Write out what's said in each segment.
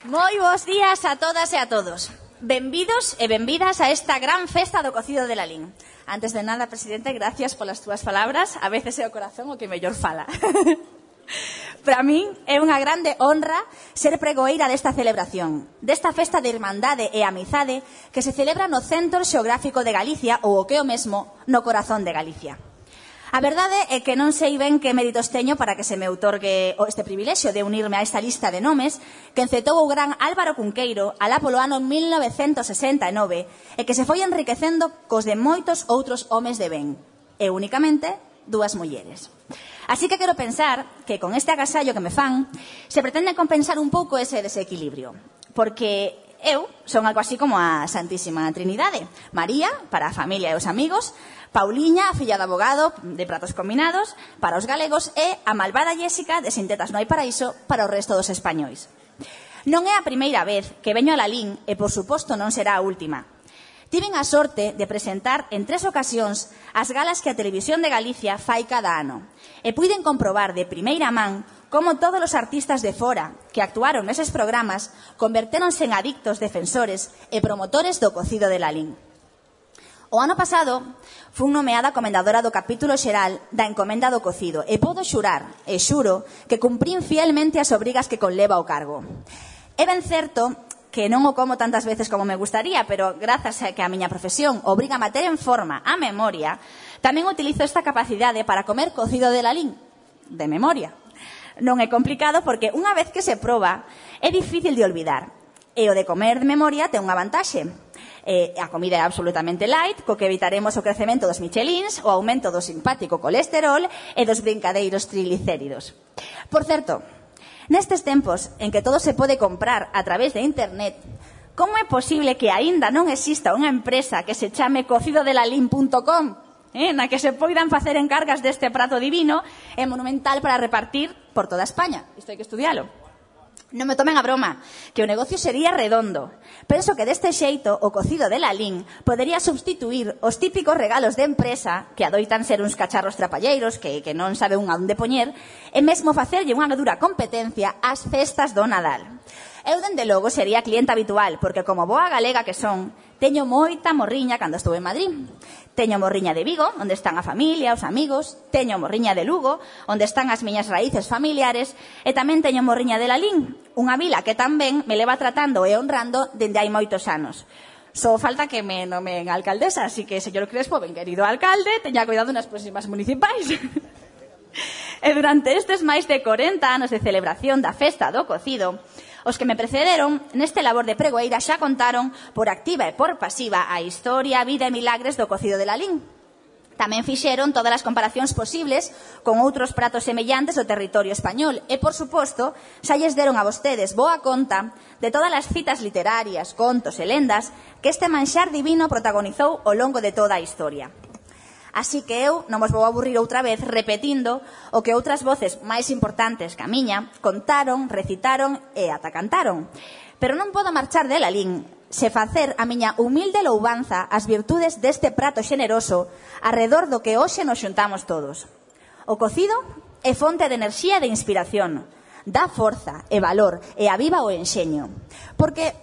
Moi bons días a todas e a todos. Benvidos e benvidas a esta gran festa do cocido de Lalín. Antes de nada, presidente, gracias polas túas palabras. A veces é o corazón o que mellor fala. Para min é unha grande honra ser pregoeira desta celebración, desta festa de irmandade e amizade que se celebra no Centro Xeográfico de Galicia ou o que é o mesmo, no corazón de Galicia. A verdade é que non sei ben que méritos teño para que se me outorgue este privilexio de unirme a esta lista de nomes que encetou o gran Álvaro Cunqueiro alá polo ano 1969 e que se foi enriquecendo cos de moitos outros homes de ben, e únicamente dúas mulleres. Así que quero pensar que con este agasallo que me fan se pretende compensar un pouco ese desequilibrio, porque eu son algo así como a Santísima Trinidade. María, para a familia e os amigos; Pauliña, a filla de abogado de Pratos Combinados para os galegos; e a malvada Jéssica de Sin tetas non hai paraíso para o resto dos españois. Non é a primeira vez que veño a Lalín e, por suposto, non será a última. Tiven a sorte de presentar en 3 ocasións as galas que a Televisión de Galicia fai cada ano e puiden comprobar de primeira man como todos os artistas de fora que actuaron neses programas convertéronse en adictos defensores e promotores do cocido de Lalín. O ano pasado fun nomeada comendadora do capítulo xeral da encomenda do cocido e podo xurar, e xuro, que cumprín fielmente as obrigas que conleva o cargo. É ben certo que non o como tantas veces como me gustaría, pero grazas a que a miña profesión obriga a manter en forma a memoria, tamén utilizo esta capacidade para comer cocido de Lalín, de memoria. Non é complicado porque unha vez que se proba é difícil de olvidar, e o de comer de memoria ten unha vantaxe. A comida é absolutamente light, co que evitaremos o crecemento dos michelins, o aumento do simpático colesterol e dos brincadeiros triglicéridos. Por certo, nestes tempos en que todo se pode comprar a través de internet, como é posible que aínda non exista unha empresa que se chame cocidodelalín.com, na que se poidan facer encargas deste prato divino e monumental para repartir por toda España? Isto hai que estudialo. Non me tomen a broma, que o negocio sería redondo. Penso que deste xeito o cocido de Lalín podería substituir os típicos regalos de empresa que adoitan ser uns cacharros trapalleiros que non sabe un a onde poñer e mesmo facerlle unha dura competencia ás festas do Nadal. Eu, dende logo, sería cliente habitual, porque como boa galega que son, teño moita morriña cando estuve en Madrid. Teño morriña de Vigo, onde están a familia, os amigos; teño morriña de Lugo, onde están as miñas raíces familiares; e tamén teño morriña de Lalín, unha vila que tamén me leva tratando e honrando dende hai moitos anos. Só falta que me nomen alcaldesa, así que, señor Crespo, ben querido alcalde, teña cuidado nas próximas municipais. E durante estes máis de 40 anos de celebración da festa do cocido, os que me precederon neste labor de pregoeira xa contaron por activa e por pasiva a historia, vida e milagres do cocido de Lalín. Tamén fixeron todas as comparacións posibles con outros pratos semellantes do territorio español e, por suposto, xa lles deron a vostedes boa conta de todas as citas literarias, contos e lendas que este manxar divino protagonizou ao longo de toda a historia. Así que eu non vos vou aburrir outra vez repetindo o que outras voces máis importantes que a miña contaron, recitaron e ata cantaron. Pero non podo marchar de Lalín se facer a miña humilde louvanza ás virtudes deste prato xeneroso arredor do que hoxe nos xuntamos todos. O cocido é fonte de enerxía e de inspiración, dá forza e valor e aviva o enxeño. Porque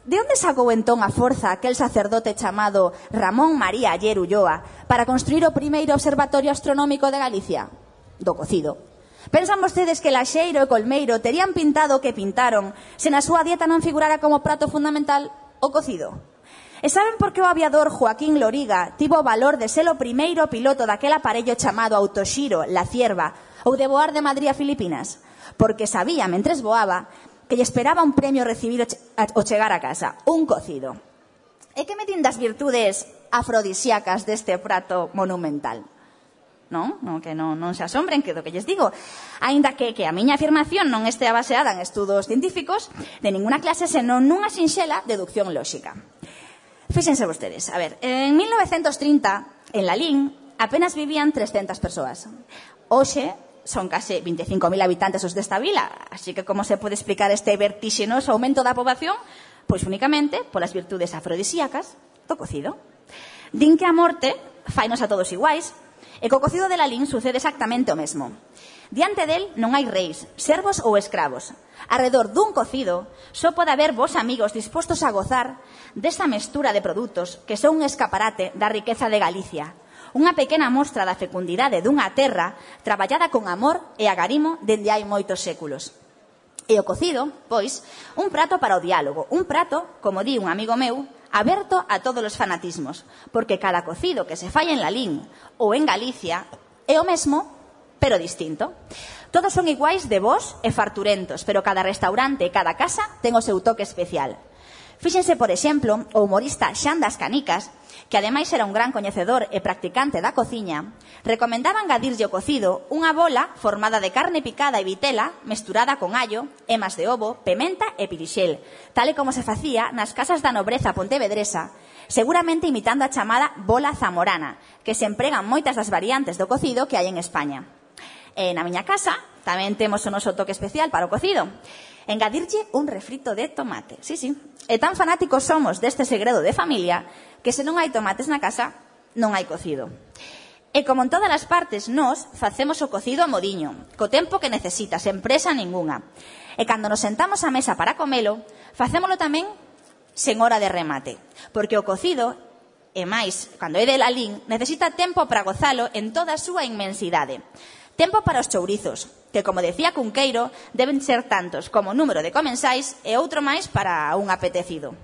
de onde sacou entón a forza aquel sacerdote chamado Ramón María Aller Ulloa para construir o primeiro observatorio astronómico de Galicia? Do cocido. Pensan vostedes que Laxeiro e Colmeiro terían pintado o que pintaron se na súa dieta non figurara como prato fundamental o cocido? E saben por que o aviador Joaquín Loriga tivo o valor de ser o primeiro piloto daquel aparello chamado autoxiro, La Cierva, ou de voar de Madrid a Filipinas? Porque sabía, mentres voaba, que lle esperaba un premio recibir ao chegar a casa, un cocido. E que me din das virtudes afrodisíacas deste prato monumental? Non? Que non se asombren que do que lles digo. Aínda que a miña afirmación non estea baseada en estudos científicos de ninguna clase, senón nunha sinxela deducción lóxica. Fíxense vostedes, a ver, en 1930, en Lalín, apenas vivían 300 persoas. Hoxe son case 25.000 habitantes os desta vila, así que como se pode explicar este vertixinoso aumento da poboación? Pois únicamente polas virtudes afrodisíacas do cocido. Din que a morte fainos a todos iguais, e co cocido de Lalín sucede exactamente o mesmo. Diante del non hai reis, servos ou escravos. Arredor dun cocido só pode haber vos amigos dispostos a gozar desa mestura de produtos que son un escaparate da riqueza de Galicia. Unha pequena mostra da fecundidade dunha terra traballada con amor e agarimo dende hai moitos séculos. E o cocido, pois, un prato para o diálogo, un prato, como di un amigo meu, aberto a todos os fanatismos, porque cada cocido que se fai en Lalín ou en Galicia é o mesmo, pero distinto. Todos son iguais de bons e farturentos, pero cada restaurante e cada casa ten o seu toque especial. Fíxense, por exemplo, o humorista Xan das Canicas, que ademais era un gran coñecedor e practicante da cociña, recomendaba engadirlle o cocido unha bola formada de carne picada e vitela mesturada con allo, emas de ovo, pementa e pirixel, tal e como se facía nas casas da nobreza pontevedresa, seguramente imitando a chamada bola zamorana, que se empregan moitas das variantes do cocido que hai en España. E na miña casa tamén temos o noso toque especial para o cocido. Engadirlle un refrito de tomate. Sí, sí. E tan fanáticos somos deste segredo de familia que se non hai tomates na casa, non hai cocido. E como en todas as partes, nós facemos o cocido a modiño, co tempo que necesita, sen presa ningunha. E cando nos sentamos á mesa para comelo, facémolo tamén sen hora de remate, porque o cocido, e máis, cando é de Lalín, necesita tempo para gozalo en toda a súa inmensidade. Tempo para os chourizos, que, como decía Cunqueiro, deben ser tantos como o número de comensais e outro máis para un apetecido.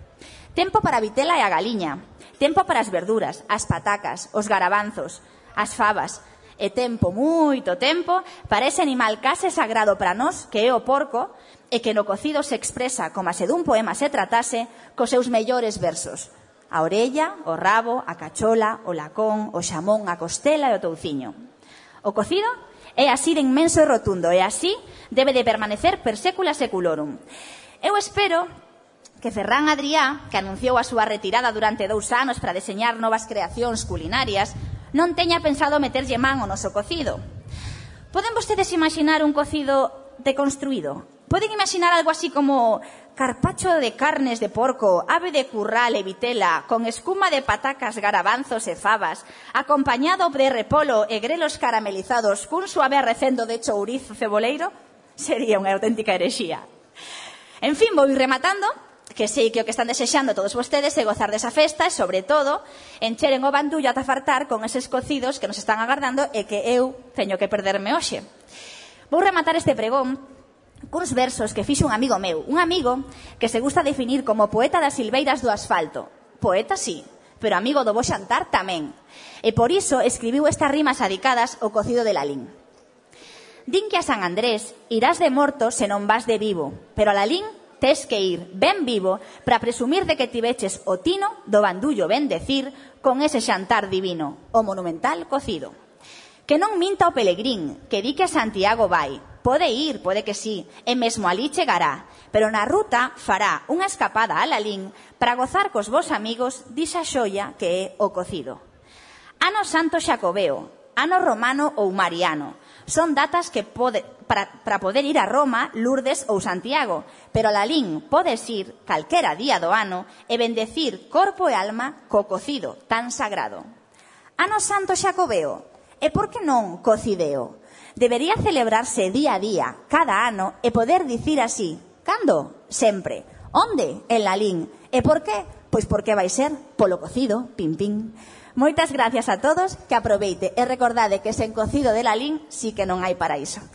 Tempo para a vitela e a galiña, tempo para as verduras, as patacas, os garabanzos, as fabas, e tempo, moito tempo, para ese animal case sagrado para nós, que é o porco, e que no cocido se expresa como se dun poema se tratase cos seus mellores versos. A orella, o rabo, a cachola, o lacón, o xamón, a costela e o touciño. O cocido é así de inmenso e rotundo, e así debe de permanecer per secula seculorum. Eu espero que Ferran Adrià, que anunciou a súa retirada durante 2 anos para deseñar novas creacións culinarias, non teña pensado meterlle man ao noso cocido. Poden vostedes imaginar un cocido deconstruído? Poden imaginar algo así como carpacho de carnes de porco, ave de curral e vitela, con escuma de patacas, garabanzos e fabas, acompañado de repolo e grelos caramelizados cun suave arrecendo de chourizo ceboleiro? Sería unha auténtica herexía. En fin, vou ir rematando, que sei que o que están desexando todos vostedes é gozar desa festa e, sobre todo, encheren o bandullo ata fartar con eses cocidos que nos están agardando e que eu teño que perderme hoxe. Vou rematar este pregón cuns versos que fixo un amigo meu, un amigo que se gusta definir como poeta das silveiras do asfalto. Poeta sí, pero amigo do bo xantar tamén. E por iso escribiu estas rimas adicadas ao cocido de Lalín. Din que a San Andrés irás de morto se non vas de vivo, pero a Lalín tes que ir ben vivo para presumir de que tiveches o tino do bandullo ben decir con ese xantar divino, o monumental cocido. Que non minta o pelegrín, que di que a Santiago vai. Pode ir, pode que sí, e mesmo alí chegará, pero na ruta fará unha escapada a Lalín para gozar cos vos amigos disa xoia que é o cocido. Ano Santo Xacobeo, ano romano ou mariano, son datas que para poder ir a Roma, Lourdes ou Santiago, pero a Lalín podes ir calquera día do ano e bendecir corpo e alma co cocido tan sagrado. Ano Santo Xacobeo, e por que non cocideo? Debería celebrarse día a día, cada ano, e poder dicir así. Cando? Sempre. Onde? En Lalín. E por qué? Pois porque vai ser polo cocido, pim pim. Moitas gracias a todos, que aproveite e recordade que sen cocido de Lalín sí que non hai paraíso.